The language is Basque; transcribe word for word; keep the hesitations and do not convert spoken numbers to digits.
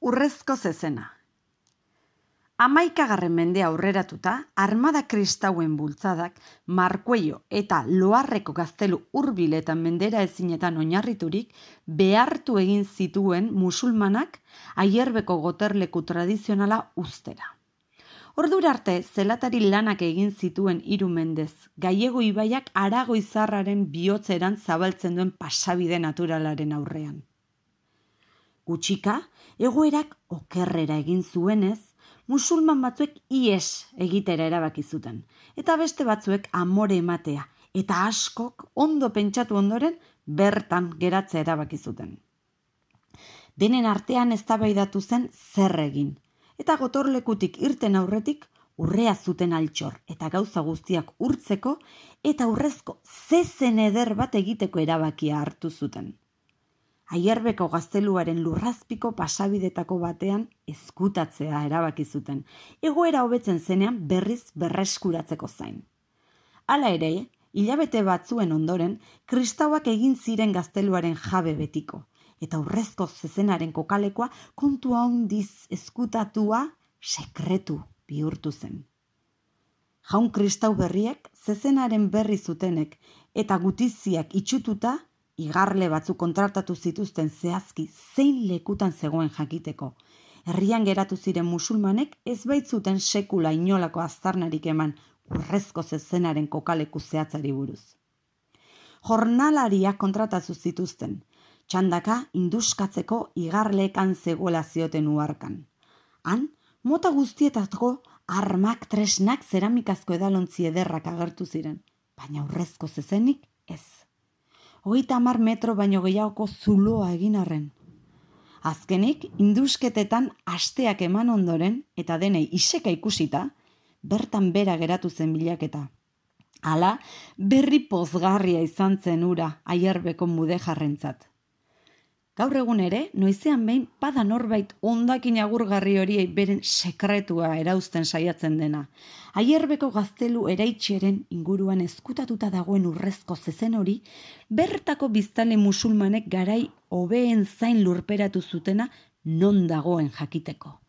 Urrezko zezena. Hamaikagarren mendea aurreratuta, armada kristauen bultzadak Markuello eta Loarreko gaztelu hurbiletan mendera ezinetan oinarriturik behartu egin zituen musulmanak Aierbeko goterleku tradizionala uztera. Ordura arte, zelatari lanak egin zituen hiru mendez, Gallego ibaiak Aragoizarraren bihotzeran zabaltzen duen pasabide naturalaren aurrean. Gutxika, egoerak okerrera egin zuenez, musulman batzuek ies egitera erabaki zuten, eta beste batzuek amore ematea, eta askok ondo pentsatu ondoren bertan geratzea erabaki zuten. Denen artean eztabaidatu zen zer egin, eta gotorlekutik irten aurretik urrea zuten altxor eta gauza guztiak urtzeko eta urrezko zezen eder bat egiteko erabakia hartu zuten. Aierbeko gazteluaren lurrazpiko pasabidetako batean ezkutatzea erabaki zuten, egoera hobetzen zenean berriz berreskuratzeko zain. Hala ere, hilabete batzuen ondoren, kristauak egin ziren gazteluaren jabe betiko, eta urrezko zezenaren kokalekoa kontu handiz ezkutatua sekretu bihurtu zen. Jaun kristau berriek zezenaren berri zutenek eta gutiziak itxututa, igarle batzuk kontratatu zituzten zehazki zein lekutan zegoen jakiteko. Herrian geratu ziren musulmanek ez baitzuten sekula inolako aztarnarik eman urrezko zezenaren kokaleku zehatzari buruz. Jornalariak kontratatu zituzten, txandaka induskatzeko igarleekan zegoela zioten uharkan. Han, mota guztietako armak, tresnak, zeramikazko edalontzi ederrak agertu ziren, baina urrezko zezenik ez. Hogeita hamar metro baino gehiagoko zuloa egin arren. Azkenik, indusketetan asteak eman ondoren, eta denei iseka ikusita, bertan bera geratu zen bilaketa. Hala, berri pozgarria izan zen ura Aierbeko mudejarrentzat. Gaur egun ere, noizean behin bada norbait hondakin agurgarri horiei beren sekretua erauzten saiatzen dena. Aierbeko gaztelu eraitxeren inguruan ezkutatuta dagoen urrezko zezen hori, bertako biztanle musulmanek garai hobeen zain lurperatu zutena non dagoen jakiteko.